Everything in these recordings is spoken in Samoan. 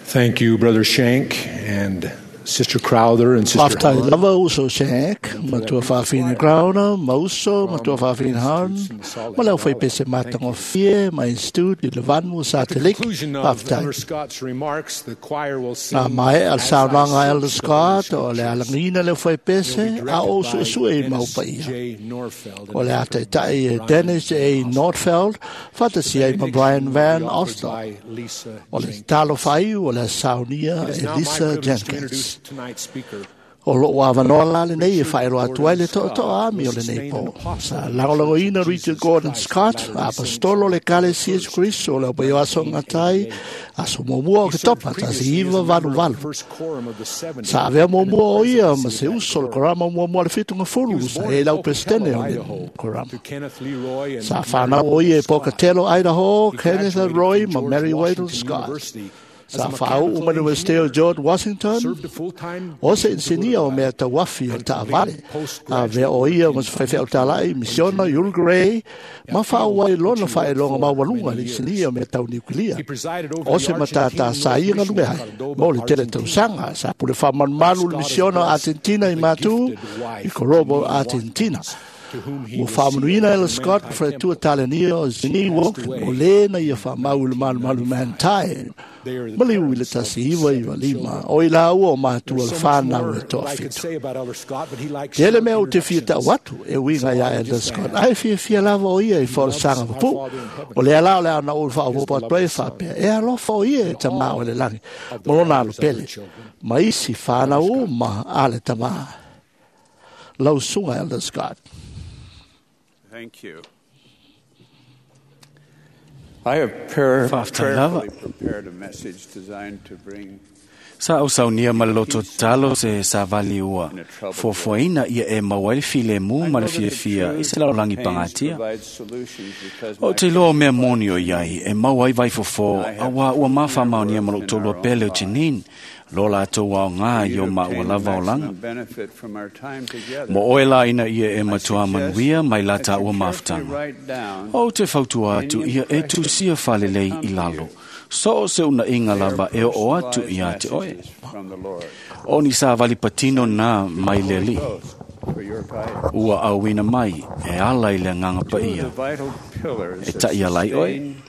Thank you, Brother Shank and Sister Crowther and Sister Faafetai lava uso Shank, matua faafina Crowther, ma uso, matua faafina Hahn, ma le aufaipese matagofie ma Institute i le Vanu o Sateliki. Faafetai. Na maea le saunoaga a Elder Scott o le alagiina le aufaipese a o suesue i mau paia. O le a taitai e Dennis A. Nordfeld, faatasia ai ma Brian Van Osdol. O le tatalo faaiu o le a saunia e Lisa Jenkins. O loo avanoa la lenei e faailoa atu ai le toatoa ami o lenei po. Sa lagolagoina Richard Gordon Scott, apostolo le Ekalesia Iesu Keriso o le aupaia o aso gatai, aso muamua o Oketopa 1988. Sa avea muamua o ia ma se uso o le korama muamua le 70 sa i ai lau peresetene o le korama. Sa whanau o ia e Pocatello, Idaho, Kenneth Roy ma Mary Waddell Scott. Sa whaau ma le Universite o George Washington, o se insinia o mea tauafi o le taavale. A vea o ia ma se faifeau talai, misiona Uruguay, ma whaau ai lona whaeloga maualuga le insinia o mea tau niukilia. O se matata sa ia ngalume ai, mo le tele tausaga, sa pule whaamalumalu le misiona Argentina i Matu, i Corobo, Argentina. Ua faamanuina Elder Scott ma faletua talenia o Zini Walk o lē na ia faamau i le malumalu Mantai ma liu i le 1995 o i laua o matua le whanau e toafitu. Tele mea o te fia tau atu e uiga ia Elder Scott ae fiafia lava o ia i folasaga papu. O lea la o le ana o faaopoopo atu ai faapea e alofa o ia e tamā o le lagi ma lona alo pele ma isi whanau uma a le tamā. Lau susuga Elder Scott. Thank you. I have Faafetai lava. prayerfully prepared a message designed to bring Sa au saunia ma le loto tatalo se savali ua fuafuaina ia e maua ai le filemu ma le fiafia i se lalolagi pagatia. provide solutions because O my te iloa o mea moni o iai e maua ai vaifofo auā ua mafamaonia ma lou tolua pele o Janine lo latou aogā i o you'd maua obtain lava olaga. maximum benefit from our time together. Mo oe la ina ia e matua manuia mai la that you tāua carefully mafutaga. write down O te fautua atu ia e tusia falelei i lalo. So o se una inga lava e o atu ia te oe. messages from the Lord. O ni sa vali patino nā mai le li. Ghost for your guidance. Ua auina mai e ala i le nganga Two of paia. the vital pillars E that tai ala i oe. sustain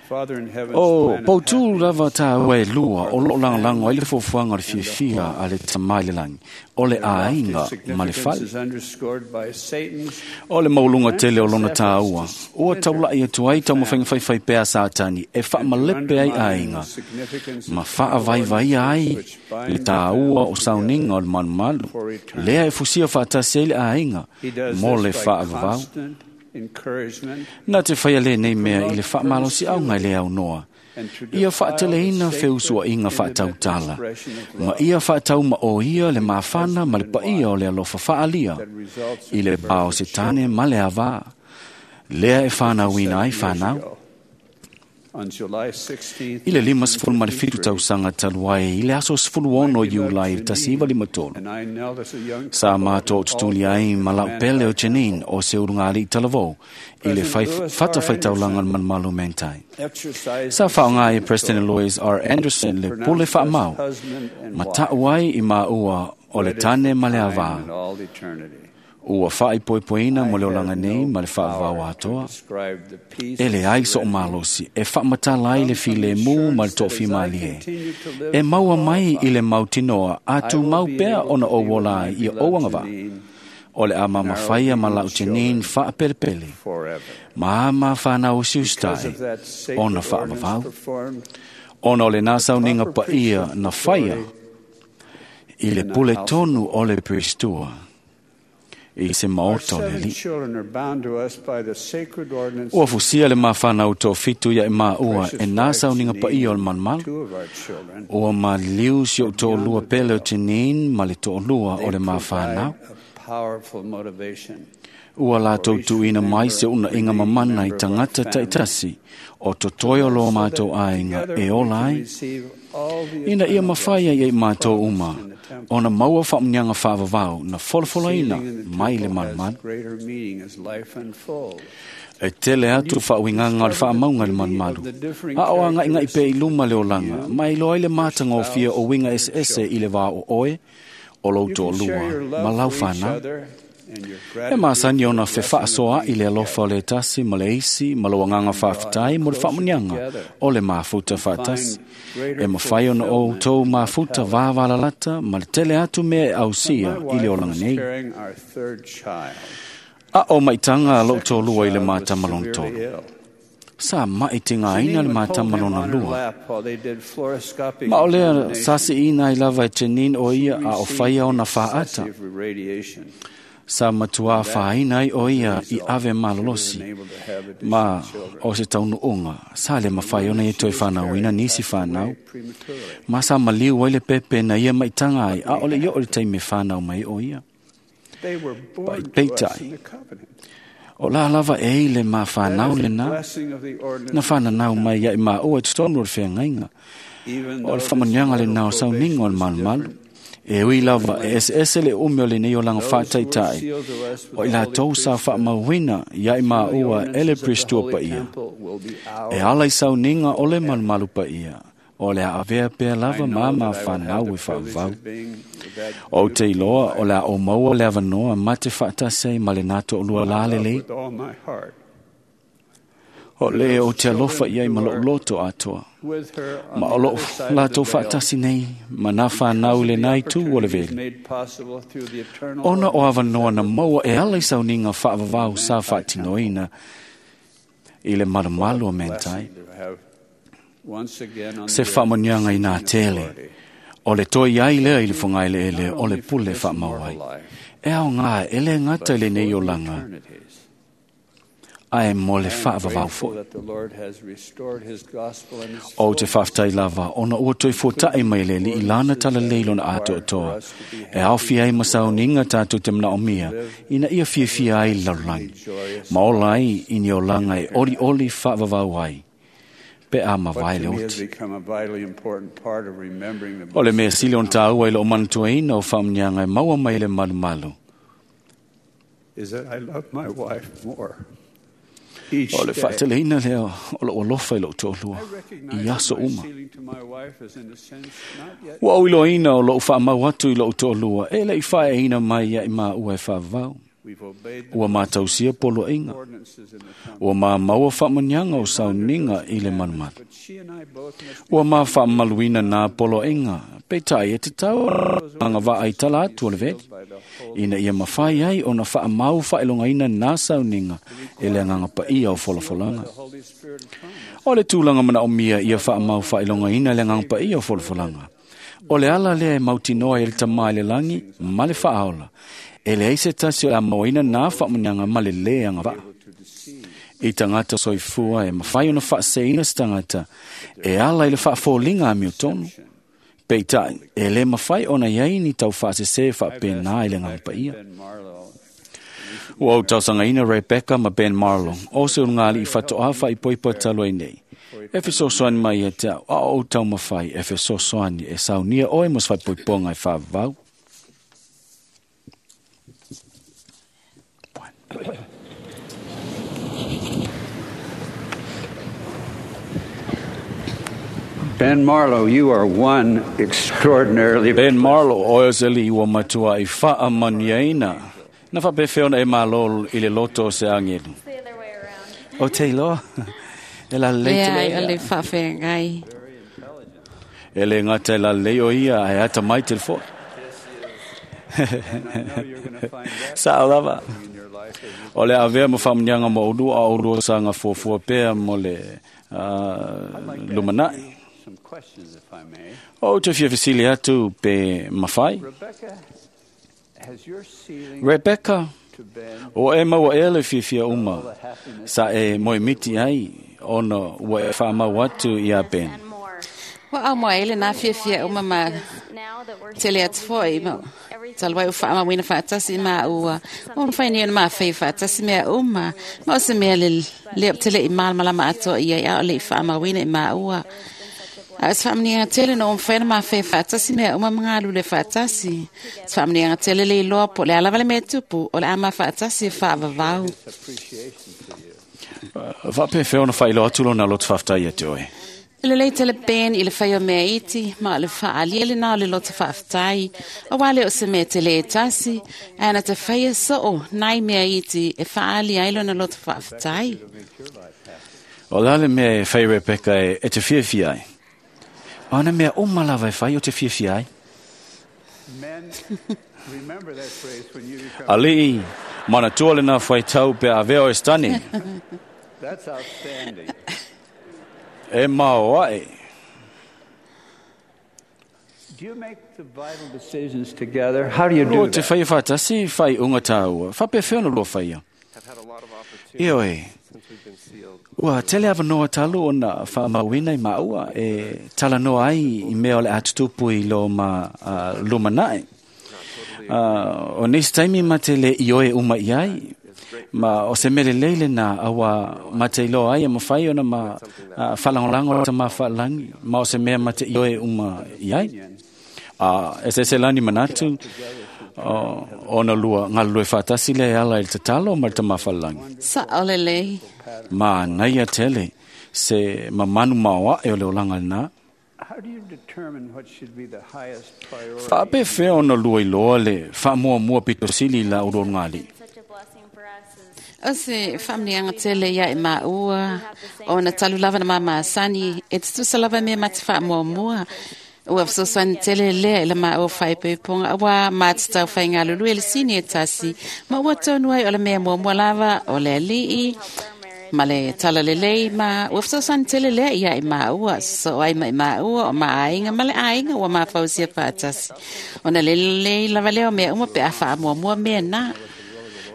Father in heaven's O plan of pautū happiness lava tā ue lua o lo langolango ai le fuafuaga o le fiafia a le tamai le langi. O le āinga ma le significance fale. is underscored by Satan's O le maulunga tele o lona tāua. Ua taulai atu ai taumafaiga pea Satani e faamalepe ai aiga. significance Ma faavaivaia ai le tāua o sauniga o le malumalu. Lea e fusia faatasi ai le aiga He does mo this le by faavavau. constant encouragement Na te whaia le nei mea i le whaamalosi au ngai le au noa. and to Ia defile the whaateleina sacred feusuainga intimate whaatautala. expression of Ma love ia whaatau ma o ia le mafana ma le paia o le alofa whaalia. that results I in le the birth bao of se tane ma le avā. Lea e whanauina ai 7 years whanau. ago. On July 16th, I le 57 tausaga talu ai i le aso 16 Iulai 1953. and I knelt as a young Sa couple mātou at the tutuli altar ai at ma lau pele o Manti Janine o se urunga ali talavou i le President Louis R. whata whaitaulanga Anderson malumalu mentai. exercised Sa his whaonga e sacred President authority Louis R. Anderson le and pule pronounced us whaamau. husband and Ma wife, ta'u ai i maua o le wedded tane for ma le time avā. and all eternity. Ua whaaipoipoina mo le I have olanga nei no ma le whaavau power to atoa. describe the peace E le and ai so serenity malosi e whaamatala ai le file mu ma le tofi malie. E maua mai i le mautinoa a I tu will mau be pea able ona to o be with wola my ai i o beloved angava. Janine O le ama mawhaia ma lau Janine whaapelepele. forever. Ma ama whanau Because siustai of that sacred ona ordinance whaavavau. performed, Ona o le nāsau ninga proper pa ia priesthood na whaia authority i le in the pule house tonu o le pristua. I se Our maota o le seven li. children are bound to us by the sacred ordinance Ua fusia le mawhanau tō fitu ia e maua precious e nāsau wife ninga pa ia o le Janine, malumalu. two of our children. Ua maliu si o tō lua pele o Janine ma le tō lua They o le provide mawhanau. a powerful motivation Ua lātou tuina mai se una inga mamana i tangata taitasi o totoe o lo mātou aiga e ola ai. Ina ia mawhaia i mātou uma, ona maua whaamnianga whaavavau na folofoloina mai le malumalu. Greater meaning as life unfolds. E tele atu faauigaga o le faamauga i le malumalu. A o agaigai pea i luma le olaga, ma e iloa ai le matagofie o uiga eseese i le va o oe, o lou toalua, ma lau fanau. E masani ona fefaasoaai le alofa o le tasi ma le isi ma lou agaga faafetai mo le faamuniaga o le mafuta faatasi. E mafai ona outou mafuta vavalalata ma le tele atu mea e ausia i le olaga nei. A o maitaga a lou toalua i le matama lona tolu. Sa mai tigaina le matama lona lua. Ma o lea sa siina ai lava e Janine o ia a o faia ona faata. Sa matua faaina ai o ia i ave malolosi. Ma o se taunuuga, sa le mafai ona ia toe whanauina nisi whanau. Ma sa maliu ai le pepe na ia maitaga ai, a o le i o le taimi whanau mai o ia. Peitai, o la lava e i le ma whanau le na, na whananau mai ia i ma oe totonu o le wheangaiga. O le whamanianga le nao sauniga o le malumalu. E ui lava e ese le ume o le nei o langa whātaitai. O i lātou sa whaamauina ia i maua e le Pristua pa ia. E ala i sauniga o le malumalu pa ia. O le a avea pea lava ma ma whanau e whaavau. O te iloa o le a o maua le avanoa ma te whaatasei ma le nato o lua lale lei. O le o te alofa iai ma lou loto atoa. Ma o lou lātou faatasi nei, ma nā whanau le nai tū o le veli. Ona o avanoa na maua e ala i sauniga whaavavau sa whaatinoina i le malumalu o mentai. Se whaamanianga i nā tele, o le toi ai lea i le whangaile ele o le pule whaamau ai. E ao ngā e le ngata i le nei o langa, ae mo le whaavavau foi. O te whaftai lava, ona ua toi fuata'i mai le li i lana tala leilona atoatoa. E awhi ai masauninga tātou te mana o mia, ina ia fiafia ai lalolagi. Ma ola ai i ni olanga e ori ori whaavavau ai. Pe a mawai le oti. O le mea sili on tāua i lo manatuaina o whaamnianga e maua mai le malumalu. Is that I love my wife more. O le whaateleina lea o lou alofa i lou toalua i aso uma. Ua au iloaina o lou whaamau atu i lou toalua e le i whaeina mai ia i maua e whaavau. Ua mātausia poloaiga. Ua māmaua whaamanianga o sauniga i le malumalu. Ua mā whaamaluina nā poloaiga, peitai e te tau anga vaai tala atu o le veli. Ina ia mawhai ai o na whaamau whaelongaina nā sauniga e le anganga paia o folafolanga. O le tūlanga mana o mia ia whaamau whaelongaina le anganga paia o folafolanga. O le ala lea e mautinoa e le tamai le langi ma le whaaola. E le eise tasi o la moina nā whaamunianga ma le le anga vaa. I tangata soifua e mawhai ona whaaseina se tangata e ala i le whaafolinga a mio tonu. Peitai, e le mawhai ona iai ni tau whaasese whaapena i le nganga paia. Ua au tausangaina Rebecca ma Ben Marlowe, o se ungali i whatoa whaipoipo taloi nei. E fesoasoani mai ia te au, a o tau mawhai e fesoasoani e saunia oe mo se whaipoiponga e whaavau. Ben Marlowe, you are one extraordinarily... Ben Marlowe, oe o se li ua matua i whaamaniaina. Na whapewheona e malo i le loto o se angelu. O te iloa. E la lei te Lea o le whaawhengai. E le ngata e la lei o ia, e ata mai te le foe. Sa o lava. O le avea mo whaamanianga mo ulu a ulu o sanga fuafua pea mo le lumanai. O te fia fesili atu pe mawhai. Rebecca, o e maua e le fiafia uma, sa e moemiti ai, ona ua e whaamau atu i a Ben. Wa au moa ele nā fiafia uma ma tele atu foi ma talwai o whaamauina whaatasi ma ua o mwhai ni ma whai whaatasi mea uma ma o se mea le le tele i malamalama atoa ia i ao le i whaamauina i ma ua. A se whaamanianga tele no omwhaina ma whai whaatasi mea uma mga le whaatasi. Se whaamanianga tele le iloa po le alava le mea tupu o le ama whaatasi e whaavavau. Faapefea ona faailoa atu lona loto faafetai ia te oe? E lelei tele Ben i le fai o mea iti, ma o le faalia lena o le loto faafetai. Auā lea o se mea tele e tasi, ae na te faia soo nai mea iti e faaali ai lona loto faafetai. O le a le mea e fai Rebecca e te fiafia ai? O ana mea uma lava e fai o te fiafia ai. Alii, manatua lena faitau pe avea o e stani. E mao ae. Lua te whaia whātasi, whai unga tāua. Whapewhea ona lua whaia. Ioe, ua tele awanoa talu ona whaamauina i maua e talanoa ai i mea o le atutupu i lo ma lumanae. O nisi taimi ma te le ioe uma i ai, ma o se mele lele na awa ma te iloa ai e mawhai ona ma whalangolango ta ma whalangi, ma o se mea ma te ioe uma i ai. E se lani manatu, ona lua ngalue whaatasi le ala i te tatalo ma te mawhalangi. Sa ole lei. Ma naia tele se mamanu maoa e o le olanga na. Whaapewhea ona lua iloa le whaamua pito sili la uro ngali. O se whaamnianga tele ia e maua, o na talu lava na mamasani, e tutusa lava mea ma te whaamuamua. Ua fesoasoani tele lea i le maua faaipoipoga auā matatau faigalulue le sini e tasi, ma ua tonu ai o le mea muamua lava o le alii ma le talalelei, ma ua fesoasoani tele lea ia i maua, sosoo ai ma i maua o maaiga ma le aiga ua mafausia faatasi. Ona lelei lava lea o mea uma pe a faamuamua mea na.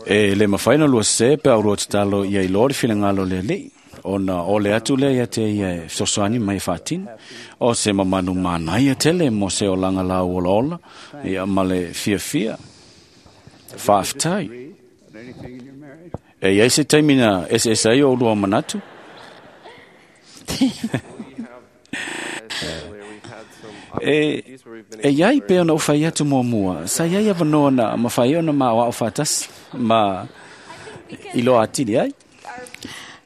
E le mawhai na lua se pe au rua tatalo ia i loa le finagalo le alii. Ona o le atu lea ia te ia e fesoasoani mai whaatina. O se mamanu mānaia tele mo se o langa lau ola ola. Ia ma le fiafia. Faafetai. E iai se taimi na ese ai o lua manatu. E iai pe ona ufai atu mua mua. Sa iai awanoa na mawhai ona ma o whātasi. Ma iloa atili ai.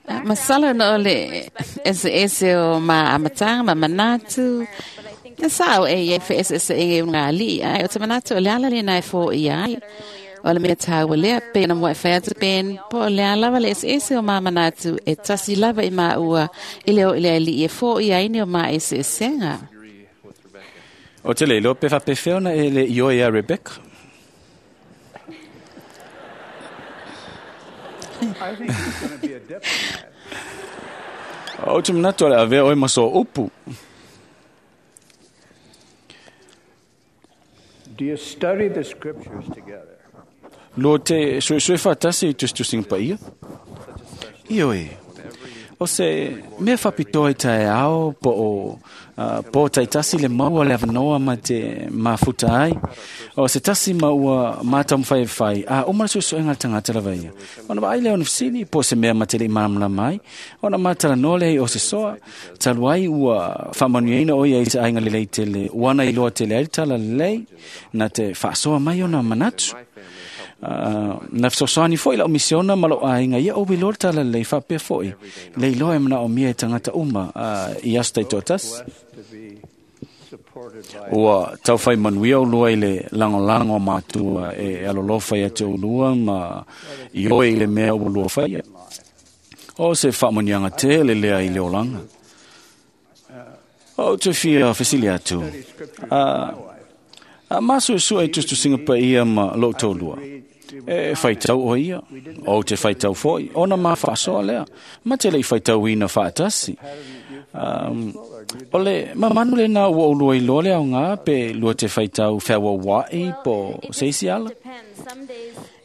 Masalo na o le ese ese o ma amatanga ma manatu. Na sao e ia fe ese ese e ngā alii ai. O te manatu o le ala le nai fo i ai. O le mea tāua lea pe na mua e whai atu Ben. Po o le ala le ese ese o ma manatu e tasi lava i maua i leo i le alii e fo i ai ni o ma ese esenga. O te leilo pe whapewhea ona e le ioe a Rebecca. O te manatu ale avea oe maso upu. Do you study the scriptures together? Lua te suesue whātasi i tustusinga paia. Ioe. O se mea whapitoa i tae ao po o po taitasi le maua le awanoa ma te mafuta ai. O se tasi maua mātamwhai whai. A o mana suesuenga tangata lava ia. Ona wa aile ona fisili po se mea matele i maramala mai. Ona mātala noa lea o se soa. Talu ai ua whaamanuiaina o ia i te ainga lelei tele. Uana i loa tele ai tala lelei. Na te whaasoa mai ona manatu. Na fesoasoani foi lau misiona ma lou aiga ia ou iloa le talalelei faapea foi le iloa e manaomia e tagata uma i aso taitoatasi. Ua taufai manuia ulua i le lagolago a matua e alolofa ia te ulua ma i oe i le mea ua lua faia. O se faamanuiaga tele lea i le olaga. O te fia fesili atu. A masuesue i tusitusiga paia ma lou taulua. E whaitau o ia, o te whaitau foi, ona ma whaasoa lea, ma te lei whaitauina whaatasi. O le mamanu le nā ua ulua i loa le au ngā, pe lua te whaitau wheawa wai po seisi ala.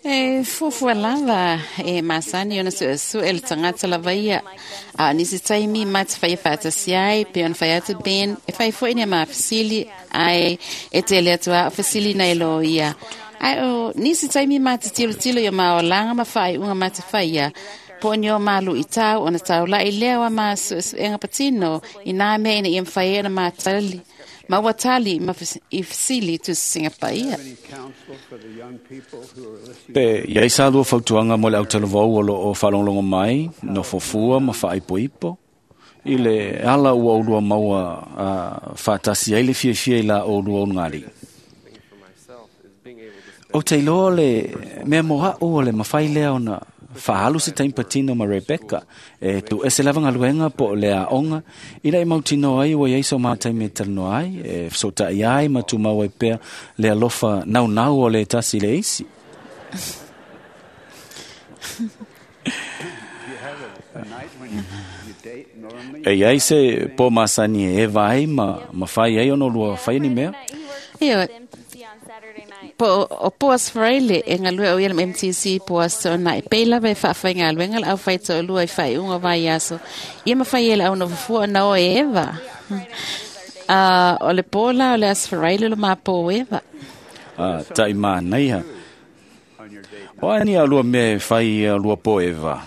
E fuafua lava e masani ona suesue le tagata lava ia. A o nisi taimi ma te faia faatasi ai pe ona fai atu Ben e fai foi ni a mafesili ai e tele atu a o fesili nei lo ia. Ai o nisi taimi ma te tilotilo i o maolaga ma faaiuga ma te faia. Po ni o malu i tau ona taulai lea wa ma suesuega patino i nā mea ina ia mawhai e na mātali. Ma ua tali ma i fesili Tusisiga Paia. Pe iai sa lua fautuaga mo le autalavou o loo faalogologo mai, nofofua ma faaipoipo i le ala ua oulua maua faatasi ai le fiafia i la oulua ulugalii. O te iloa le mea mo a'u o le mafai lea ona faaalu se taimi patino ma Rebecca e tuuese lava galuega po o le aoga ina i mautinoa ai ua iai so mataimi e talanoa ai, e fesoota'i ai ma tumau ai pea le alofa naunau o le tasi i le isi. E iai se po masani e eva ai ma mafai ai ona lua fai ni mea. Ioe. Po o Poas Freile e galue o ia le MTC Poas Tona e pei lava e faafaigaluega le aufai toalua i faaiuga o vaiaso. Ia mafai e le au nofofua ona o e eva. O le po la o le Aso Faraile o le mapo eva. Tai manaia. O ani a lua mea e fai a lua po eva.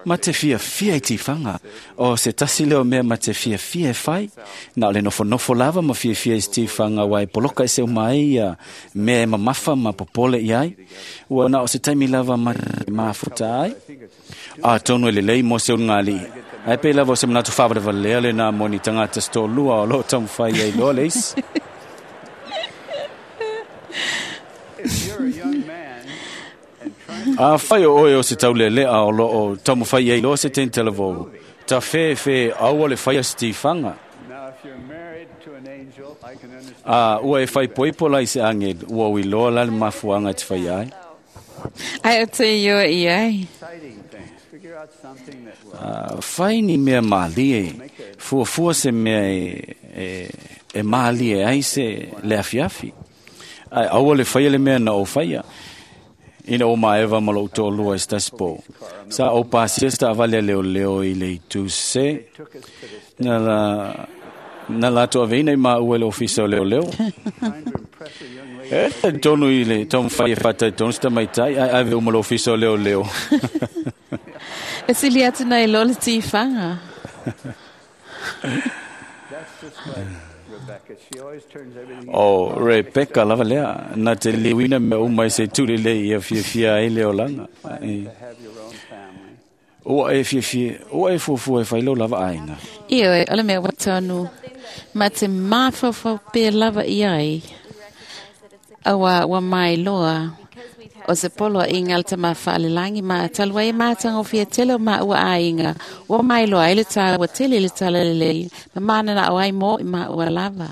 Ma te fiafia i tifaga. O se tasi leo mea ma te fiafia e fai. Na o le nofonofo lava ma fiafia i se tifaga ua e poloka e seu mai ia mea e mamafa ma popole i ai. Ua na o se taimi lava ma mafuta ai. A tonu e lelei mo se ulugalii. Ae pei lava o se manatu faavalevalea lenā mo ni tagata se toalua o loo taumafai ai loa le isi. A fai o oe o se taulelea o loo taumafai ai loa se tenitalavou, ta fefe aua le faia se tifaga. A ua e faipoipo la i se agelu, ua uiloa la le mafuaga e te faia ai. Ai o te ioe i ai. Fai ni mea malie, fuafua se mea e malie ai se le afiafi. Ai aua le faia le mea na o faia. Ina o maeva ma lou toalua i se tasi po. Sa ou pasia se taavale a leoleo i le itu sese. Na latou aveina i maua i le ofisa o leoleo. E tonu i le taumafai e faataitonu se tamaitai, ae ave uma le ofisa o leoleo. E sili atu nei loa le tifaga. O Rebecca lava lea, na te liuina mea uma i se tulelei ia fiafia ai le olaga. Ua e fiafia, ua e fuafua e fai lou lava aiga. Ioe, o le mea ua tonu ma te mafaufau pea lava i ai. Aua ua mai loa o se poloaiga a le Tama Faalelagi ma talu ai e matagofie tele o maua aiga. Ua mai loa ai le tāua tele i le talalelei ma mananao ai mo i maua lava.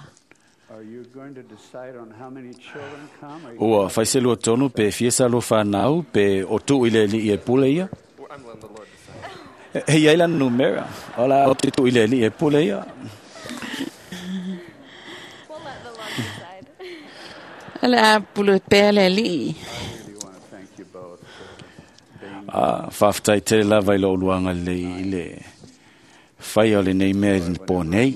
Ua fai se lua tonu pe fia sa lua whanau pe o tuu i le alii e pule ia. E iai lana numera. O la o te tuu i le alii e pule ia. O le a pulu pea le alii. Faafetai tele lava i lou luaga lelei i le fai o lenei mea i le po nei.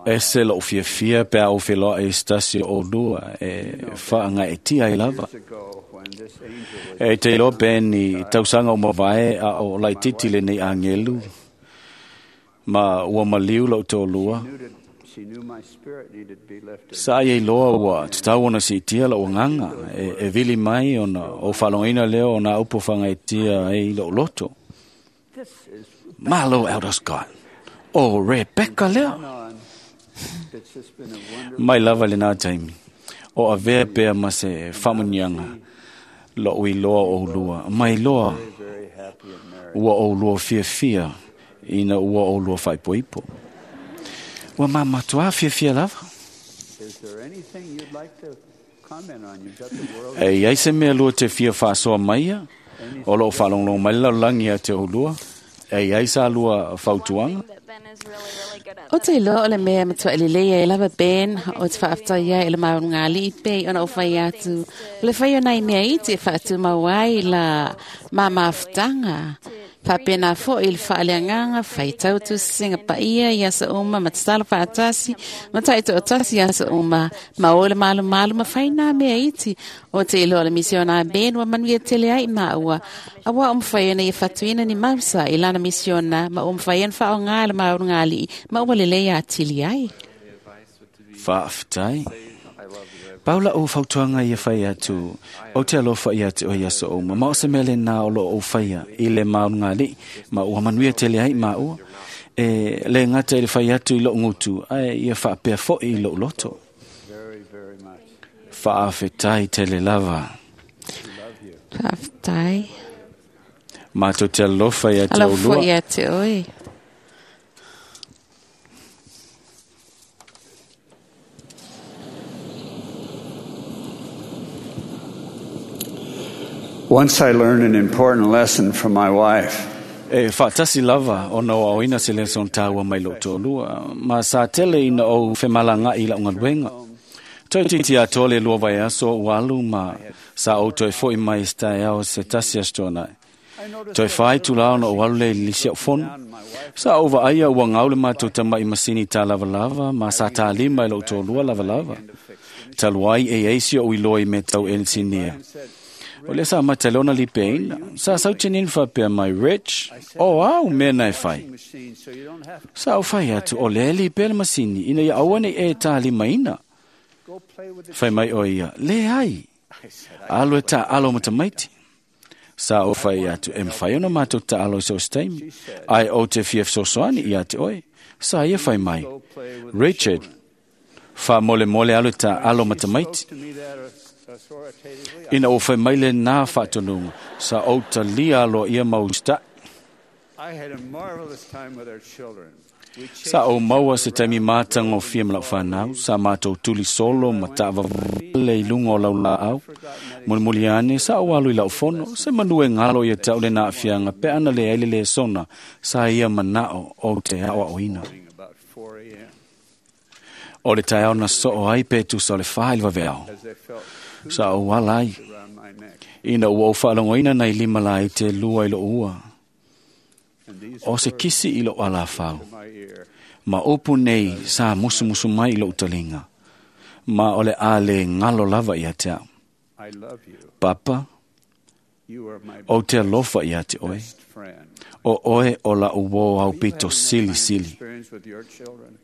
E se lou fiafia pe a ou feloa e se tasi o oulua e faagaetia ai lava. E te iloa pe ni tausaga o mavae a o laititi lenei agelu ma ua maliu lou toalua. Sa ia iloa ua tatau ona siitia lou agaga e vili mai ona ou faalogoina lea o nā upu faagaetia ai lou loto. Malo Elder Scott. O Rebecca lea. Mai lava lenā taimi. O avea pea ma se faamuniaga lou iloa o oulua. Mai loa ua oulua fiafia ina ua oulua faaipoipo. Ua mamatuā fiafia lava. E iai se mea lua te fia faasoa maia, o loo faalogologo mai le lalolagi ia te oulua. E iai sa lua fautuaga. O te iloa o le mea matuai lelei ai lava Ben o te faafetai ai i le maulugalii pei ona o fai atu. O le fai o nai mea iti e faatumau ai la mamafutaga. Faapena fo'i le faaleagaga faitau tusiga paia i aso uma ma tatalo faatasi ma taitoatasi i aso uma ma o le malumalu ma faina mea iti o te iloa le misiona Ben ua manuia tele ai maua auā o mafai ona ia fatuina ni mausa i lana misiona ma ua mafai ona faaaogā le maulugalii ma ua lelei atili ai. Faafetai. Paula o fautuaga ia fai atu o te alofa ia te o ia so o ma o se mele na o lo o faia i le maulugalii ma ua manuia tele ai maua e le gata i le fai atu i lou gutu ae ia faapea fo'i i lou loto. Faafetai tele lava. Faafetai. Matou te alofa ia te Alofa oulua. ia te oe. Once I learned an important lesson from my wife. E faatasi lava ona o aoina se leson tāua mai lou toalua, ma sa tele ina ou femalaga'i i la'u galuega. Toe titi atoa le lua vaiaso o alu ma sa ou toe fo'i mai se taeao se tasi aso toana'i. Toe fai tula ona ou alu lea i le lisi a'u fono. Sa ou vaaia ua gau le matou tama'i masini tālavalava ma sa tālima i lou toalua lavalava. Talu ai e ai si o'u iloa i mea tau enisinia. O lea sa mata le ona lipeina. Sa sautinini faapea mai, Rich, o au mea na e fai. Sa ou fai atu, o lea lipe le masini, ina ia aua nei e tālimaina. Fai mai o ia, le ai. Alo e tāalo ma tamaiti. Sa ou fai atu, e mawhai ona mātou tāalo i so se taimi. Ai o te fia fesoasoani ia te oe. Sa ia fai mai, Richard, wha mole mole alo e tāalo ma tamaiti. Ina o fai mai le nā whaatonunga, sa o talia aloa ia mau sta. I had a marvelous time with our children. We Sa o maua se taimi mātanga o fia ma lau whanau, sa mātou tuli solo ma taavavale i lunga o lau laau. Mulimuli ane, sa o alu i lau fono, se manu e ngalo ia tau le nā afianga, pe ana le aile le sona, sa ia manao o te ao oina. about 4 a.m. O le taeao na soo ai pe tusa o le wha i le vaveao. as they felt Sa o ala ai, around my neck. ina ua ou faalogoina nai lima la i te lua i lou ua. And these O se kisi i lou alafau. my ear. Ma upu nei sa musumusu mai i lou talinga. Ma o le a le ngalo lava ia te au. I love you. Papa, You are my o te alofa ia te oe. best friend. O oe o la uo au pito sili sili. Experience with your children.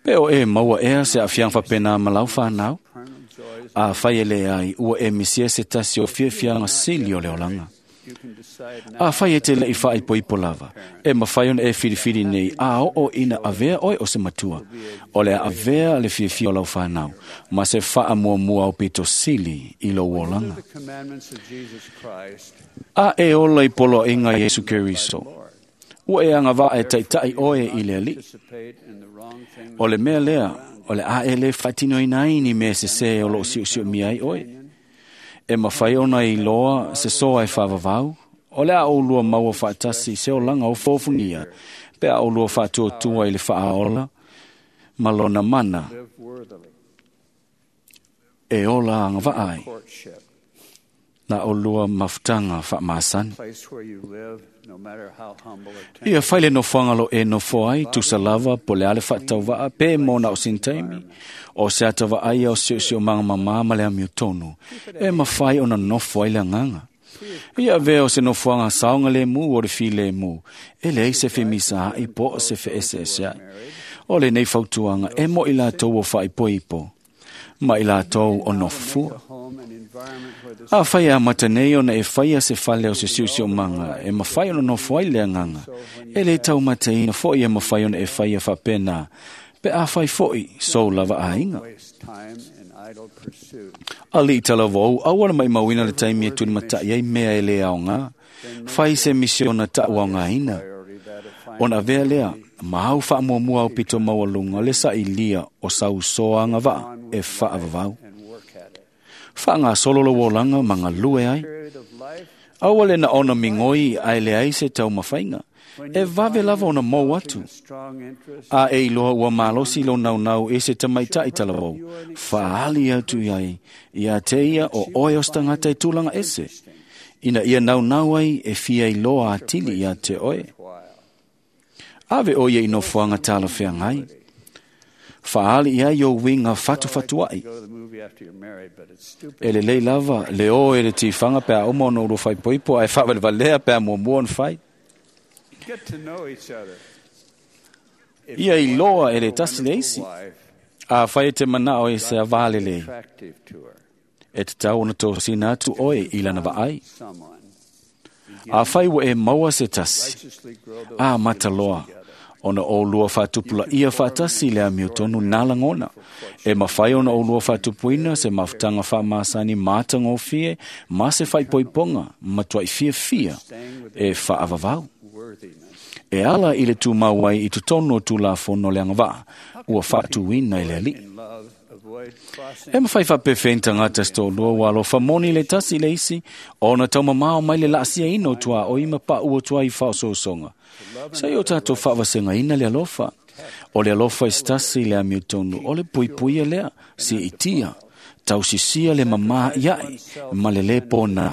Pe o e maua ea se afianga whapena ma lau whanau. Carnal joys. A whai ele ai ua e misia se tasi o fiafianga sili o le olanga. You can decide now. A whai e te lei whai po ipo lava. E mawhai ona e whiriwhiri nei a o o ina avea oe o se matua. O le avea le fiafia o lau whanau. Ma se whaa mua mua au pito sili i lou olanga. The commandments of Jesus Christ. A e ola i polo inga Yesu Keriso. Ua e anga vaa e taitai oe i le ali. Participate in the wrong things. O le mea lea, o le a e le whaatino ina ai ni mea se se o lo siu siu mia ai oe. E mawhai ona i loa se soa e whaavavau. O le a o lua maua whaatasi se o langa o fōfunia. Pe a o lua whaatuatua i le whaaola. Ma lona mana Live worthily. e ola anga vaa ai. Courtship. Na o lua mafutanga whaamasani. Place where you live, no matter how humble or temperate. Ia whaile no whangalo e no foai, tusa lava, po le ale whaatauva'a, pe mona o sintaimi, o se atawa ai o sio sio manga mama ma le amio tonu, e mawhai ona nofo ai le anganga. Ia vea o se nofoanga saonga le mu o le fi le mu, e le se whimisa ai po o se whe ese ese ai. O le nei fautuanga e mo i lātou o whaipoipo, ma i lātou o nofufua. Home and environment where the A whai a mata nei ona e whaia se whale o se siusio manga, e mawhai ona nofo ai le anganga. E le tau mateina foi e mawhai ona e whaia whapena, pe a whai foi sou lava a inga. waste time in idle pursuit. Ali tala vau, au ana mai mauina le taimi e tuni matai ai mea e le ao ngā. Whai se misiona ta au ngā ina. Priority that of finding Ona vea lea, ma au whaamua au pito maualunga le sa ilia o sau soanga vaa e whaavavau. and work at it. Wha ngā solo lo wolanga ma ngā lue ai. Period of life Aua le na ona mingoi a ele ai se tau mawhainga. E vave lava ona mou atu. a strong interest A e iloa ua malosi lo naunau e se tamaitai talavou. Whaali atu iai, ia te ia o oe o stangata e tūlanga ese. Ina ia naunau ai e fia iloa atili ia te oe. Ave o ia i nofoaga talafeagai. Faali i ai o uiga fatufatua'i. E lelei lava le o e le tifaga pe a uma ona ulua faaipoipo ae faavalevalea pe a muamua ona fai. Ia iloa e le tasi le isi. Afai e te manao e se avā lelei, e tatau ona tosina atu oe i lana vaai. Afai ua e maua se tasi, a mataloa, ona oulua faatupulaia faatasi le amiotonu nā lagona. E mafai ona oulua faatupuina se mafutaga faamasani matagofie ma se faaipoipoga matuai fiafia e faavavau. E ala i le tumau ai i totonu o Tulafono le agavaa ua faatuina e le Alii. E mafai faapefea tagata se toalua ua alofa moni le tasi le isi ona taumamao mai le laasiaina o tuaoi ma paua atu ai i faaosoosoga. Sa i o tatou faavasegaina le alofa. O le alofa i se tasi le amiotonu o le puipuia lea, siitia, tausisia le mamā iae ma le lē pona.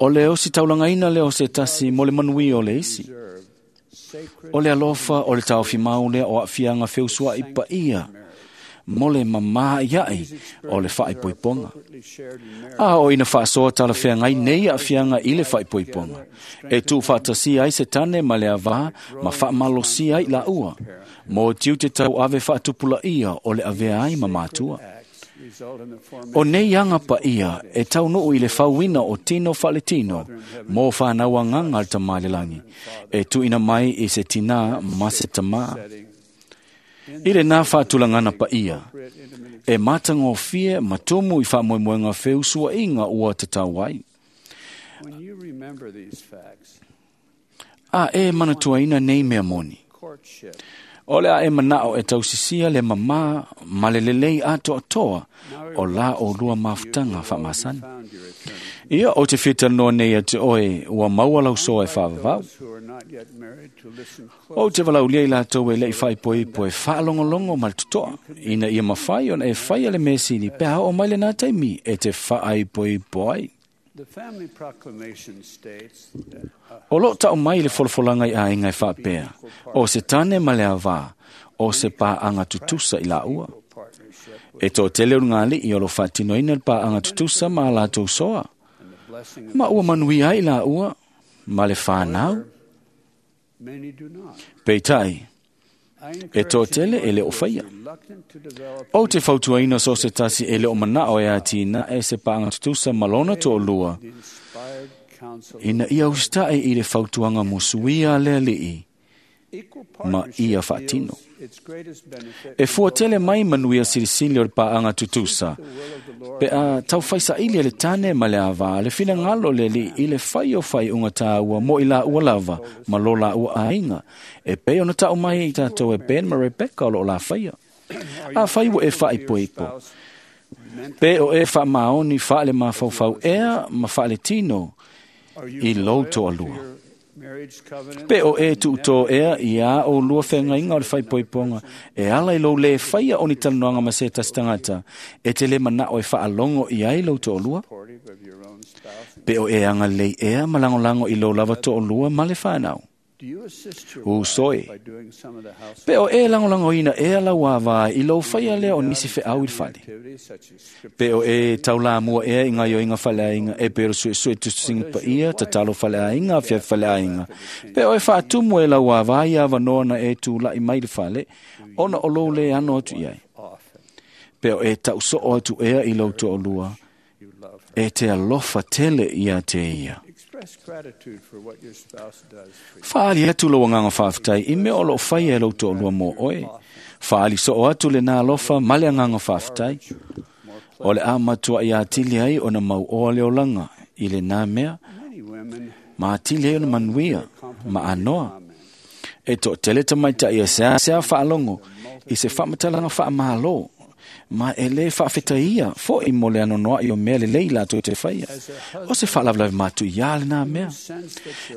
O le ositaulagaina lea o se tasi mo le manuia o le isi. O le alofa o le taofimau lea o aafiaga feusua'i paia mo le mamā iae o le faaipoipoga. A o ina faasoa talafeagai nei aafiaga i le faaipoipoga, e tuufaatasia ai se tane ma le avā ma faamalosia ai laua, mo tiute tauave faatupulaia o le avea ai ma matua. O nei aga paia e taunuu i le fauina o tino faaletino mo whanau agaga le Tamā i le lagi, e tuuina mai i se tinā ma se tamā. I le nā faatulagana paia, e matagofie ma tumu i faamoemoega feusuaiga ua tatau ai. A e manatuaina nei mea moni. O le a e manao e tausisia le mamā ma le lelei atoatoa o la olua mafutaga faamasani. Ia o te fiatalanoa nei ia te oe ua maua lausoa e faavavau. O te valaulia i latou e le'i faaipoipo e faalogologo ma le totoa, ina ia mafai ona e faia le mea sili pe a oo mai lenā taimi e te faaipoipo ai. O loo tau mai le folafolaga i aiga e faapea, o se tane ma le avā, o se paaga tutusa i laua. E toatele o lugalii o lo faatinoina le paaga tutusa ma a latou soa. Ma ua manuia ai laua ma le fanau. Peitai, e toatele e le o faia. O te fautuaina so se tasi e le o manao e atina e se paaga tutusa ma lona toalua, ina ia usitae i le fautuaga musuia a le Alii ma ia faatino. E fuatele mai manuia silisili o le paaga tutusa, pe a taufaisaili e le tane ma le avā le finagalo le Alii i le fai o faaiuga tāua mo i laua lava ma lo laua aiga, e pei ona tau mai i tatou e Ben ma Rebecca o loo lafaia. Afai ua e faaipoipo, pe o e faamaoni faale mafaufau ea ma faaletino i lou toalua. Pe o e tuutō ea i a o lua whengaiga o le faaipoipoga, e ala i lou lē faia o ni talanoaga ma se tasi tagata, e te lē manao e faalogo i ai lou toalua. Pe o e agalelei ea ma lagolago i lou lava toalua ma le fanau. Usoe, pe o e lagolagoina ea lau avā i lou faia lea o nisi feau i le fale. Pe o e taulamua ea i gaioiga faleaiga e pe o le suesue tusitusiga paia, tatalo faleaiga, afiafi faleaiga. Pe o e faatumu e lau avā i avanoa na e tula'i mai le fale, ona o lou lē ano atu i ai. Pe o e tausoo atu ea i lou toalua, e te alofa tele ia te ia. Faali atu lou agaga faafetai i mea o loo faia e lou toalua mo oe. Faali soo atu lenā alofa ma le agaga faafetai. O le a matuai atili ai ona mauoa le olaga i lenā mea, ma atili ai ona manuia ma anoa. E toatele tamaitai e seasea faalogo i se faamatalaga faamālō, ma e lē faafetaia fo'i mo le anoanoa'i o mea lelei latou te faia. O se faalavelave matuiā lenā mea.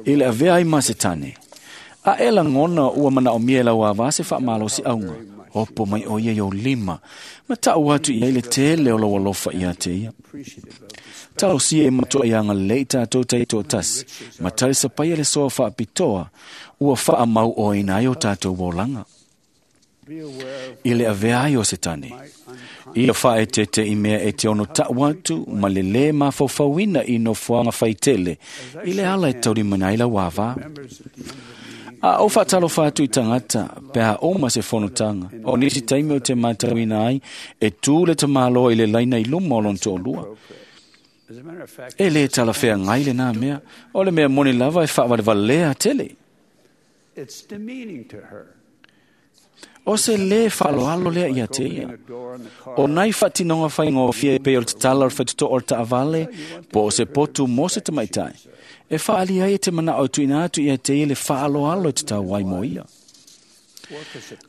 I le avea ai ma se tane, A e lagona ua manaʻomia e lau avā se faamalosi auga. Opo mai o ia i ou lima, ma taʻu atu i ai le tele o lou alofa ia te ia. Talosia e matua i agalelei tatou taitoatasi, ma talisapaia le soa faapitoa, ua faamau oaina ai o tatou olaga. I le avea ai o Setane, ia faaeteete i mea e te ono taʻu atu ma le lē mafaufauina i nofoaga faitele i le ala e taulimaina ai lau avā. A ou faatalofa atu i tagata pe a uma se fonotaga, o nisi taimi o te matauina ai e tū le tamāloa i le laina i luma o lona toalua. E lē talafeagai lenā mea, o le mea moni lava e faavalevalea tele. O se lē faaaloalo lea ia te ia. O nai faatinoga faigofie e pei o le tatala o le faitotoa o le taavale po o se potu mo se tamaitai. E faaali ai e te manaʻo e tuuina atu ia te ia le faaaloalo e tatau ai mo ia.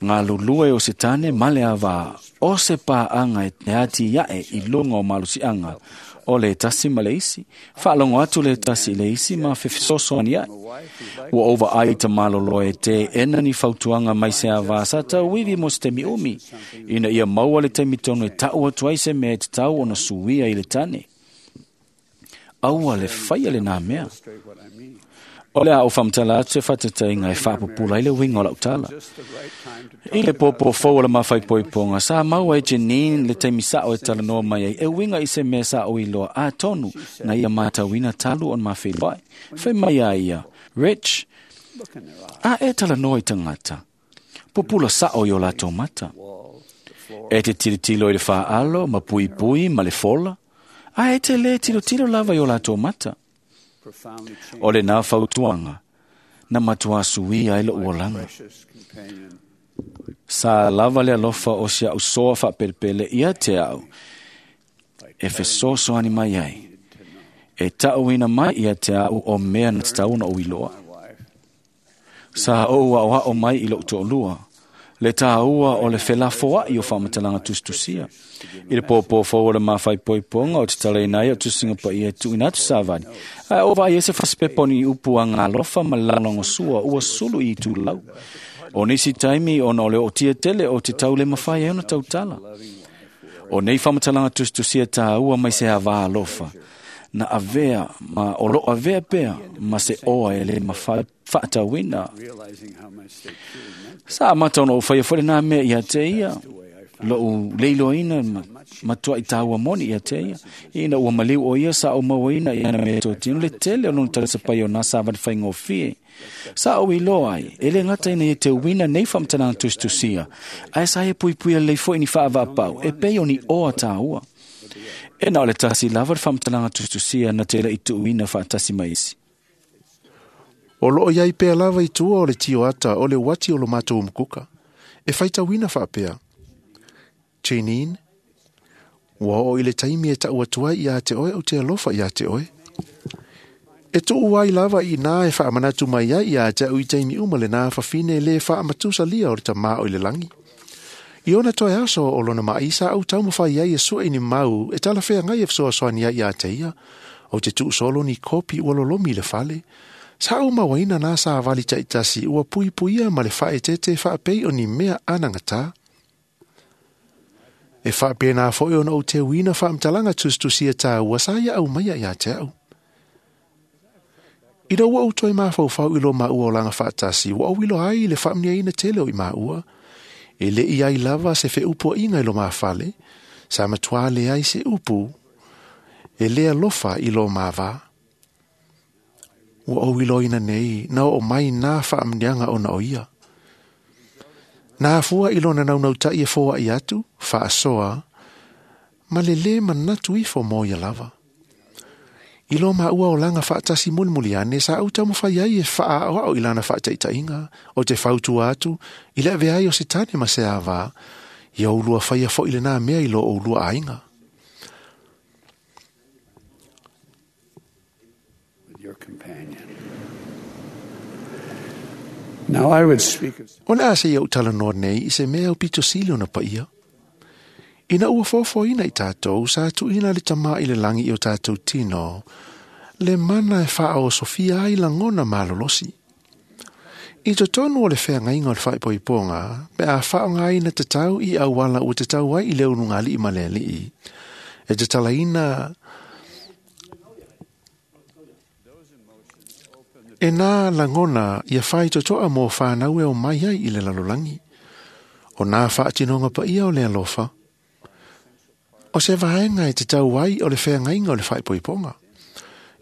Galulue o Setane ma le avā o se paaga e ati aʻe i luga o malosiaga o le tasi ma le isi. Faalogo atu le tasi i le isi ma fesoasoani aʻe. Ua ou vaai i tamalolo e teena ni fautuaga mai se avā sa tauivi mo se taimi umi, ina ia maua le taimi tonu e taʻu atu ai se mea e tatau ona suia i le tane. Aua le faia lenā mea. O le a ou faamatala atu se faataitaiga e faapupula ai le uiga o lau tala. I le pōpō fou o le mafaipoipoga, sa maua e Janine le taimi saʻo e talanoa mai ai e uiga i se mea sa ou iloa atonu na ia matauina talu ona mafeiloai. Fai mai a ia, Rich, a e talanoa i tagata, pupula saʻo i o latou mata. E te tilotilo i le faaalo ma puipui ma le fola, a e te lē tilotilo lava i o latou mata. O lenā fautuaga na matuā suia ai loʻu olaga. Sa lava le alofa o si aʻu soa faapelepele ia te aʻu e fesoasoani mai ai, e taʻuina mai ia te aʻu o mea na tatau ona ou iloa. Sa ou aʻoaʻo mai i loʻu toʻalua, le tāua o le felafoaʻi o faamatalaga tusitusia. I le pōpō fou o le mafaipoipoga o te talaina ai o tusiga paia e tuuina atu savali. Ae o vaai ai se fasipepa o ni upu agalofa ma le lalogosua ua sulu i itulau. O nisi taimi ona o le ootia tele o te tau le mafai ai ona tautala. O nei faamatalaga tusitusia tāua mai se avā alofa, na avea ma o loo avea pea ma se oa e le mafai faatauina. Sa amata ona ou faia foi lenā mea ia te ia, loʻu leiloaina matuaʻi tāua moni ia te ia. Ina ua maliu o ia sa ou mauaina i ana mea totino le tele o lona talisapaia o nā savali faigofie. Sa ou iloa ai, e lē gata ina ia teuina nei faamatalaga tusitusia, ae sa ia puipuia lelei foi ni faavaapau e pei o ni oa tāua. E na o le tasi lava le faamatalaga tusitusia na te leʻi tuuina faatasi ma isi. O loo iai pea lava i tua o le tioata o le uati o lo matou umukuka. E faitauina faapea. Janine, ua oo i le taimi e taʻu atu ai iā te oe ou te alofa iā te oe. E tuu ai lava i nā e faamanatu mai ai iā te au i taimi uma lenā fafine lē faamatusalia o le tamā o i le lagi. I ona toe aso o lona maʻi sa ou taumafai ai e suʻe ni mau e talafeagai e fesoasoani ai iā te ia, ou te tuusolo ni kopi ua lolomi i le fale. Sa ou mauaina nā savali taʻitasi ua puipuia ma le faaeteete faapei o ni mea anagatā. E faapenā foʻi ona ou teuina faamatalaga tusitusia tāua sa ia aumaia iā te aʻu. Ina ua ou toe mafaufau i lo maua olaga faatasi, ua ou iloa ai le faamanuiaina tele o i maua. E leʻi ai lava se feupuaʻiga i lo mafale, sa matuā leai se upu, e lē alofa i lo mavā. Ua ou iloaina nei na oo mai nā faamanuiaga ona o ia. Na afua i lona naunautaʻi e foaʻi atu, faasoa, ma le lē manatu ifo mo ia lava. I lo maua olaga faatasi mulimuli ane sa ou taumafai ai e faaaʻoaʻo i lana faataʻitaʻiga o te fautua atu i le avea ai o Setane ma se avā, ia oulua faia foʻi lenā mea i lo oulua aiga. O le a se ia ou talanoa nei i se mea aupito sili ona paia. Ina ua foafoaina i tatou sa tuuina le tamā i le lagi i o tatou tino, le mana e faaosofia ai lagona malolosi. I totonu o le feagaiga o le faaipoipoga, pe a faaaogaina tatau i auala ua tatau ai i le ulugalii ma le alii, e tatalaina e nā lagona ia faitotoa mo whānau e o mai ai i le lalolagi. O nā whaatinoga paia o le alofa, o se vaenga e te tau ai o le feagaiga o le faaipoipoga.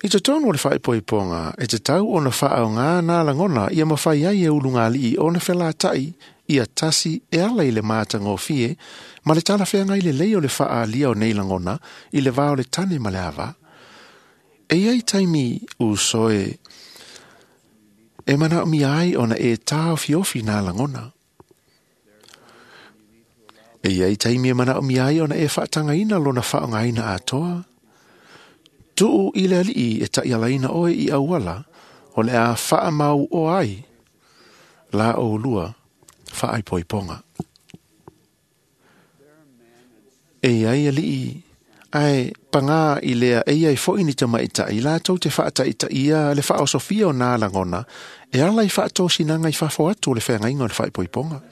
I totonu o le faaipoipoga, e te tau ona whaaonga nā lagona ia mawhai ai e ulugalii ona whelatai ia tasi e ala i le mātangofie ma le tala feagai le lei o le whaalia o nei lagona i le vā o le tane ma le ava. E iai taimi usoe e manaomia ai ona e tāofiofi nā lagona. E iai taimi e manaomia ai ona e whaatangaina lona whaongaina atoa. Tuu i le alii e ta'ialaina oe i auala o le a whaamau o ai la o lua whaaipoipoga. E iai alii ae pagā i lea e iai fo'i ni tamaita'i latou te faataitaia le faaosofia o nā lagona e ala i faatosinaga i fafo atu o le feagaiga o le faaipoipoga.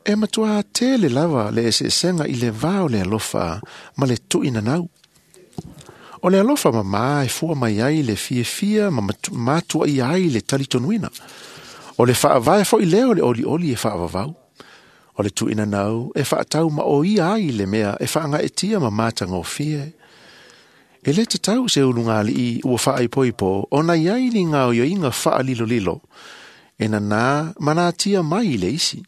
E matuā tele lava le eseesega i le vā o le alofa ma le tu'inanau. O le alofa mamā e fua mai ai le fiafia ma matuaia ai le talitonuina. O le faavae fo'i lea o le olioli e faavavau. O le tu'inanau e faatau ma o ia ai le mea e faagaetia ma matagofie. E lē tatau se ulugalii ua faaipoipo ona iai ni gaoioiga faalilolilo e nanā manatia mai i le isi.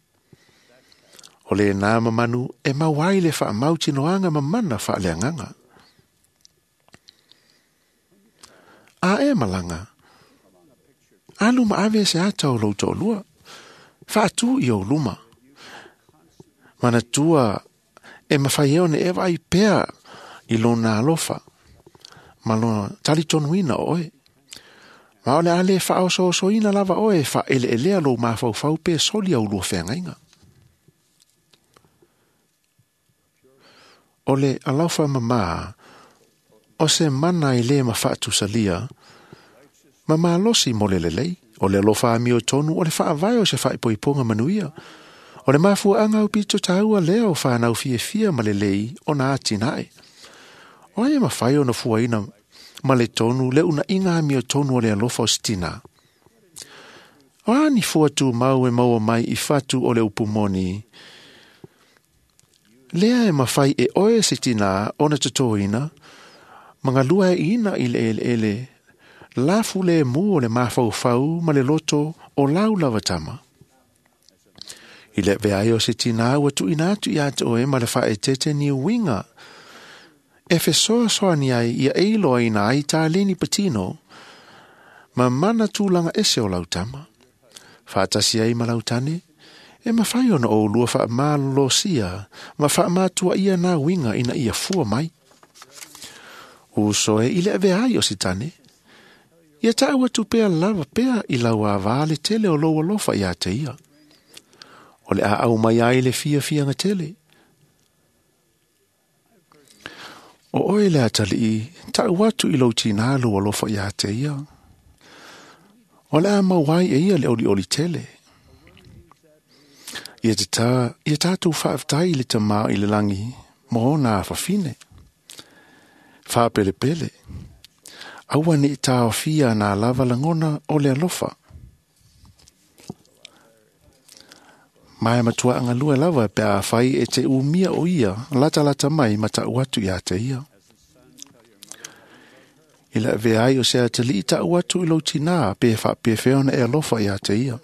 O lenā mamanu e mau ai le faamautinoaga mamana faaleagaga. A e malaga, alu ma ave se ata o lou toalua, faatū i ou luma. Manatua e mawhai e one e vaai pea i lona alofa, ma lona talitonuina o oe. Ma o le a le faaosoosoina lava oe e faaeleelea lou mafaufau pe soli au lua feagaiga. O le alofa mamā, o se mana e lē mafaatusalia, ma malosi mo le lelei, o le alofa amio tonu o le faavae o se faaipoipoga manuia. O le mafuaaga au pito taua lea o whanau fiafia ma lelei o nā atinae. O ai e mawhai ona fuaina ma le tonu le una inga amio tonu o le alofa o sitina. O ani fua tū mau e maua mai i fatu o le upumoni. Lea e mawhai e oe sitina ona totoina, mangalua e ina i le ele ele, lafu le mu o le mafaufau ma le loto o lau lava tama. I le veai o se tina ua tu'uina atu iā te oe ma le faaeteete ni uiga e fesoasoani ai ia e iloaina ai tāleni patino ma mana tulaga ese o lau tama. Faatasi ai ma lau tane, e mafai ona oulua faamalolosia ma faamatuaia nā uiga ina ia fua mai. Uso e i le aveai o se tane, ia ta'u atu pea lava pea i lau avā le tele o lou alofa iā te ia. O le a au mai ai le fiafiaga tele. O oe le atalii, ta'u atu i lou tinā lou alofa iā te ia. O le a mau ai e ia le olioli tele. Ia te tā, ia tātou faafetai i le tamā i le langi, mo ona afafine. Faapelepele. Aua ni taofia nā lava lagona o le alofa. Mae matua angalua lava pe a whai e te umia o ia, lata lata mai ma ta'u atu ia te ia. I le veai o se atalii ta'u atu i lou tinā pe whaapewhea ona e alofa ia te ia.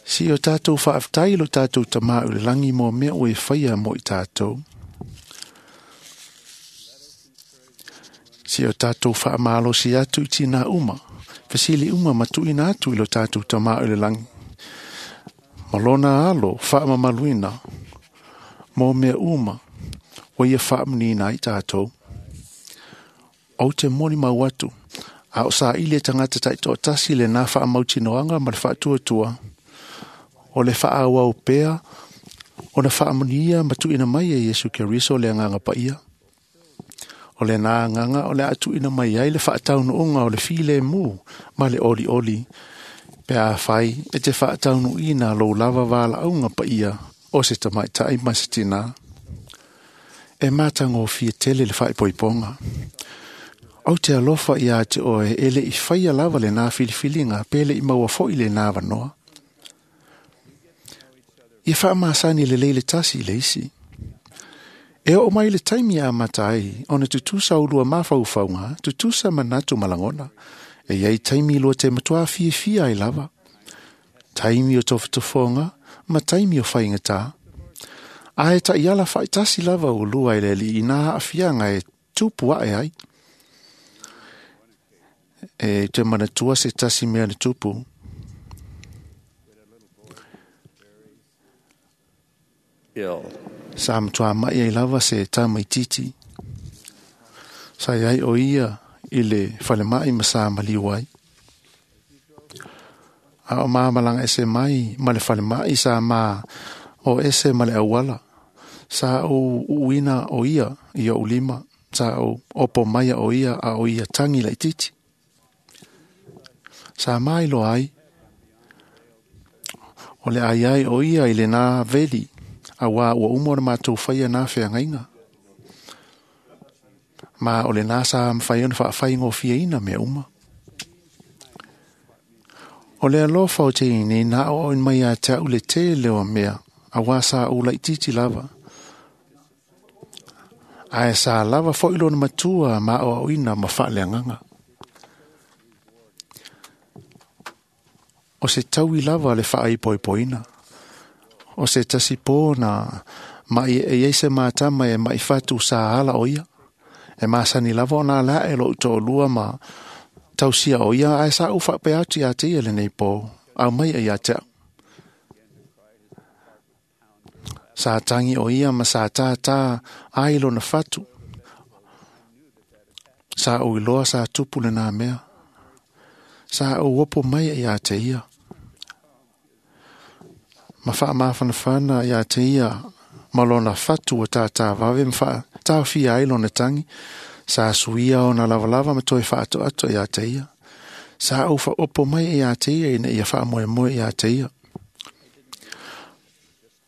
Si o tātou faafetai lo tātou tamā i le langi mo mea o e whaia mo i tātou. Si o tātou faamalosi atu i tinā uma, fesili uma ma tu'uina atu i lo tātou tamā i le langi. Ma lona alo faamamaluina mo mea uma ua ia faamanina ai tātou. Ou te moni mau atu, a o saili e tagata taitoatasi lenā faamautinoaga ma le faatuatua, o le faaauau pea ona faamanuia ma tuuina mai e Iesu Keriso le agaga paia. O lenā agaga o le a tuuina mai ai le faataunuuga o le filemu ma le olioli Pe afai e te faataunuuina lou lava valaauga paia o se tamaitai ma se tinā. E matagofie tele le faaipoipoga. Ou te alofa iā te oe e le i faia lava lenā filifiliga pe le i maua foʻi lenā avanoa. Ia faamasani lelei le tasi i le isi. E oo mai le taimi a amata ai ona tutusa ulua mafaufauga, tutusa manatu ma lagona. E iai taimi lua te matuā fiafia ai lava. Taimi o tofotofoga ma taimi o faigatā. Ae taʻiala faaitasi lava ulua i le alii i nā aafiaga e tupu aʻe ai. E te manatua se tasi mea na tupu. Sa matuā maʻi ai lava se tamaititi. Sa iai o ia i le falemaʻi ma sa maliu ai. A o mamalaga ese mai ma le falemaʻi sa ma o ese ma le auala. Sa ou uuina o ia i oʻu lima. Sa ou opo maia o ia a o ia tagi laititi. Sa mailoa ai o le ai ai o ia i lenā veli auā ua uma ona matou faia nā feagaiga. Ma o lenā sa mafai ona faafaigofieina mea uma. O le alofa o teinei na aoaoina mai ia te au le tele o mea auā sa ou laititi lava. Ae sa lava foʻi lona matua ma aoaoina ma faaleagaga. O se taui lava le faaipoipoina. O se tasi pō na maʻi e iai se matama e maʻi fatu sa ala o ia. E masani lava ona ala aʻe loʻu toʻalua ma tausia o ia ae sa ou faapea atu iā te ia lenei pō, au mai ia te au. Sa tangi o ia ma sa tātā ai lona fatu. Sa ou iloa sa tupu lenā mea. Sa ou opo mai ia te ia. Ma faamafanafana iā te ia ma lona fatu ua tātā vave ma faataofia ai lona tagi. Sa suia ona lavalava ma toe faatoato iā te ia. Sa ou faaopo mai iā te ia ina ia faamoemoe iā te ia.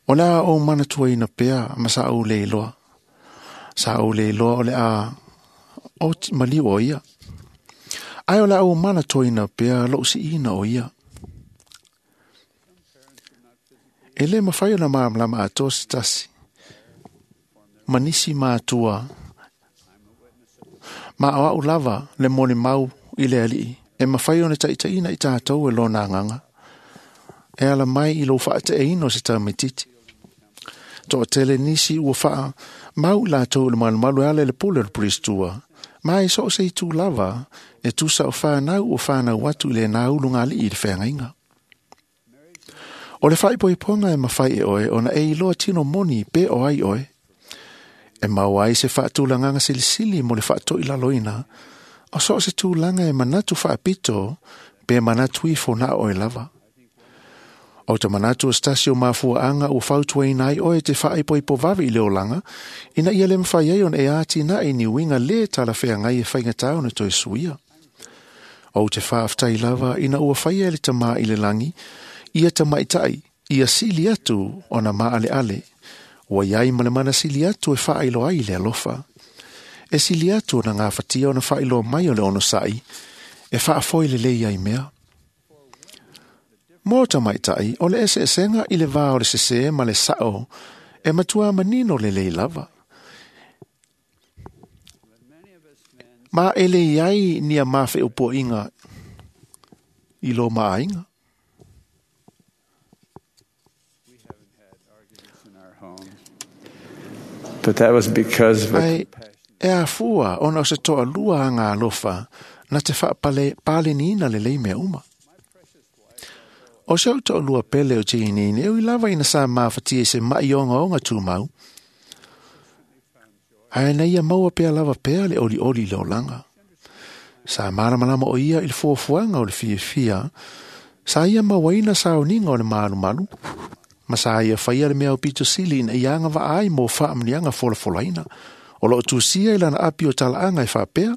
O le a ou manatuaina pea ma sa ou le iloa. Sa ou le iloa o le a o maliu o ia. Ae o le a ou manatuaina pea lou siina o ia. E lē mafai ona malamalama atoa se tasi. Ma nisi matua. Ma o au lava le molimau i le alii. E mafai ona taʻitaʻina i tatou e lona agaga. E ala mai i lou faateʻeina o se tamaititi. Toʻatele nisi ua faamau i latou i le malumalu e ala i le pule o le pulistua. Ma e so o se itu lava e tusa o whanau o whanau atu i le nā ulugalii i le feagaiga. O le faaipoipoga e mafai e oe ona e iloa tino moni pe o ai oe. E maua ai se faatulagaga silisili mo le faatoʻilaloina o so o se tulaga e manatu faapito pe manatu ifo na oe lava. O te manatu o se tasi o mafuaaga ua fautuaina ai oe te faaipoipo vave i le olaga ina ia le mafai ai ona e atinae ni uiga lē talafeagai e faigatā ona toe suia. Ou te faafetai lava ina ua faia e le tamā i le lagi ia tamaʻitaʻi ia sili atu ona maʻaleʻale. Ua iai ma le mana sili atu e faailoa ai le alofa. E sili atu ona gafatia ona faailoa mai o le onosaʻi e faafoe lelei ai mea. Mo tamaʻitaʻi o le eseesega i le vā o le sesē ma le saʻo e matuā manino lelei lava. Ma e le iai nia mafeʻupoʻiga i lo maaiga. But that was because of a Ae e afua ona o se toʻalua aga alofa na te faapaleniina lelei mea uma. O se ou toʻalua pele o Jeanine e ui lava ina sa mafatia i se maʻi ogaoga tumau. Ae na ia maua pea lava pea le olioli i le olaga. Sa malamalama o ia i le fuafuaga o le fiafia, sa ia mauaina sauniga o le malumalu, ma sa ia faia le mea aupito sili ina ia agavaa ai mo faamuniaga folafolaina. O loo tusia i lana api o talaaga e faapea,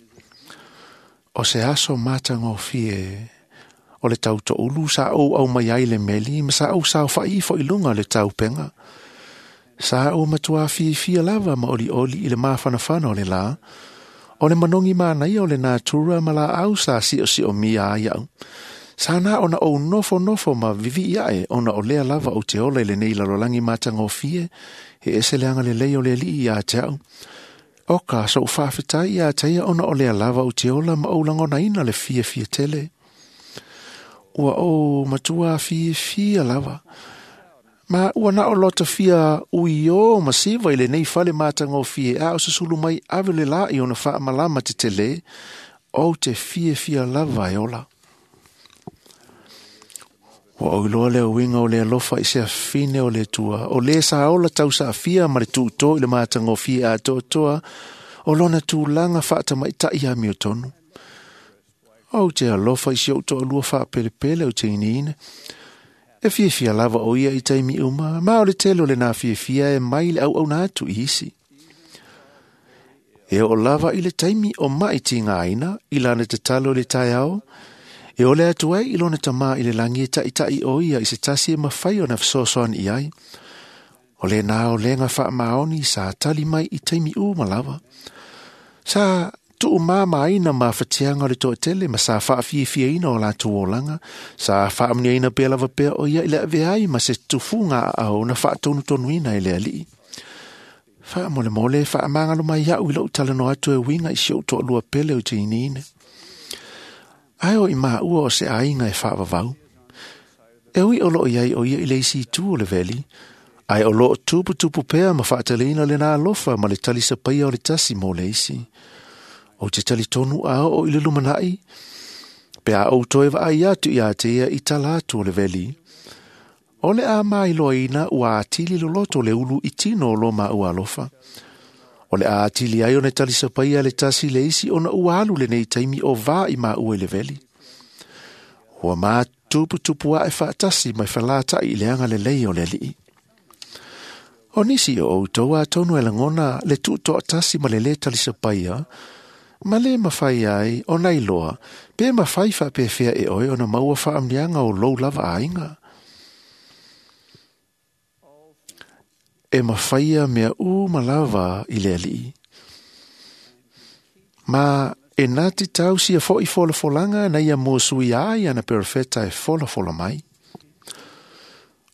o se aso matagofie O le tautoulu sa ou au mai ai le meli ma sa ou saofa'i ifo i luga o le taupega. Sa ou matuā fiafia lava ma olioli i le mafanafana o le lā. O le manogi manaia o le natura ma laau sa siosiomia ai au. Sa na ona ou nofonofo ma vivi'i ae ona o lea lava ou te ola i lenei lalolagi matagofie, e ese le agalelei o le Alii iā te au. O ka so'u faafetai iā te ia ona o lea lava ou te ola ma ou lagonaina le fiafia tele. Ua ou matuā fiafia lava. Ma ua na o lota fia uiō ma siva i lenei fale matagofie a o susulu mai ave le lā i ona faamalama tetelē, ou te fiafia lava e ola. Ua ou iloa le uiga o le alofa i se afine o le Atua, o lē sa ola tausaafia ma le tuutō i le matagofie atoatoa o lona tulaga faatamaita'i amiotonu. Ou te alofa i si ou toalua faapelepele o Janine. E fiafia lava o ia i taimi uma, ma o le tele o lenā fiafia e mai le auauna atu i isi. E oo lava i le taimi o ma'i tigaina i lana tatalo i le taeao, e ole atu ai i lona tamā i le lagi e taʻitaʻi o ia i se tasi e mafai ona fesoasoani i ai. O lenā olega faamaoni sa tali mai i taimi uma lava. Sa tuumamaina mafatiaga o le toatele ma sa faafiafiaina o latou olaga, sa faamuniaina pea lava pea o ia i le avea ai ma se tufuga aao na faatonutonuina e le Alii. Faamolemole faamagalo mai au i lou talanoa atu e uiga i si ou toalua pele o Janine. Ae o i maua o se aiga e faavavau. E ui o loo iai o ia i le isi itu o le veli, ae o loo tuputupu pea ma faateleina lenā alofa ma le talisapaia o le tasi mo le isi. Ou te talitonu a oo i le lumanai, pe a ou toe vaai atu iā te ia i tala atu o le veli. O le a mailoaina ua atili loloto le ulu i tino o lo maua alofa. O le a atili ai ona talisapaia le tasi le isi ona ua alu lenei taimi o vā i maua i le veli. Ua matuputupu ae faatasi mai falataʻi i le agalelei o le Alii. O nisi o outou atonu e lagona le tuutoatasi ma le lē talisapaia, ma lē mafai ai ona iloa pe mafai faapefea e oe ona maua faamuniaga o lou lava aiga. E mafaia mea uma lava i le Alii. Ma e nati tausia foʻi folafolaga na ia muasuia ai ana perofeta e folafola mai.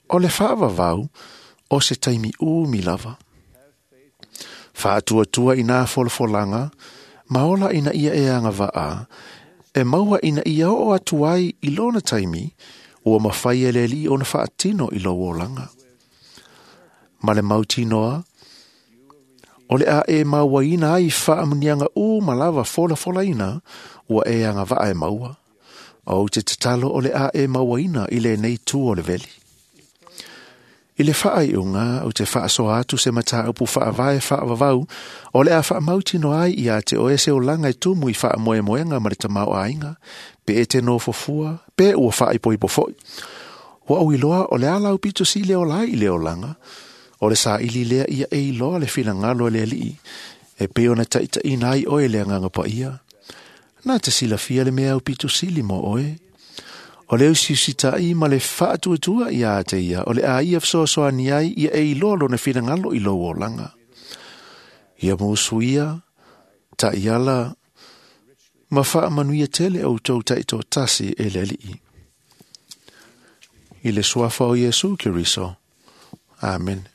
O le faavavau o se taimi umi lava. Faatuatua i nā folafolaga, ma ola ina ia e agavaa, e maua ina ia oo atu ai i lona taimi, ua mafai e le Alii ona faatino i lou olaga. Ma le mautinoa, o le a e mauaina ai faamuniaga uma lava folafolaina, ua e agavaa e maua. Ou te tatalo o le a e mauaina i lenei tu o le veli. I le faaiuga ou te faasoa atu se mataupu faavae faavavau, o le a faamautino ai iā te oe se olaga e tumu i faamoemoega ma le tamaoaiga, pe e te nofofua, pe ua faaipoipo foʻi. Ua ou iloa o le a lau pito sili ola ai i le olaga, o le saili lea ia e iloa le finagalo e le Alii, e pei ona taʻitaʻina ai oe le Agaga Paia. Na te silafia le mea aupito sili mo oe. O le usiusitaʻi ma le faatuatua iā te ia, o le a ia fesoasoani ai ia e iloa lona finagalo i lou olaga. Ia musuia, taʻiala, ma faamanuia tele outou taʻitoatasi e le Alii. I le suafa o Iesu Keriso. Amen.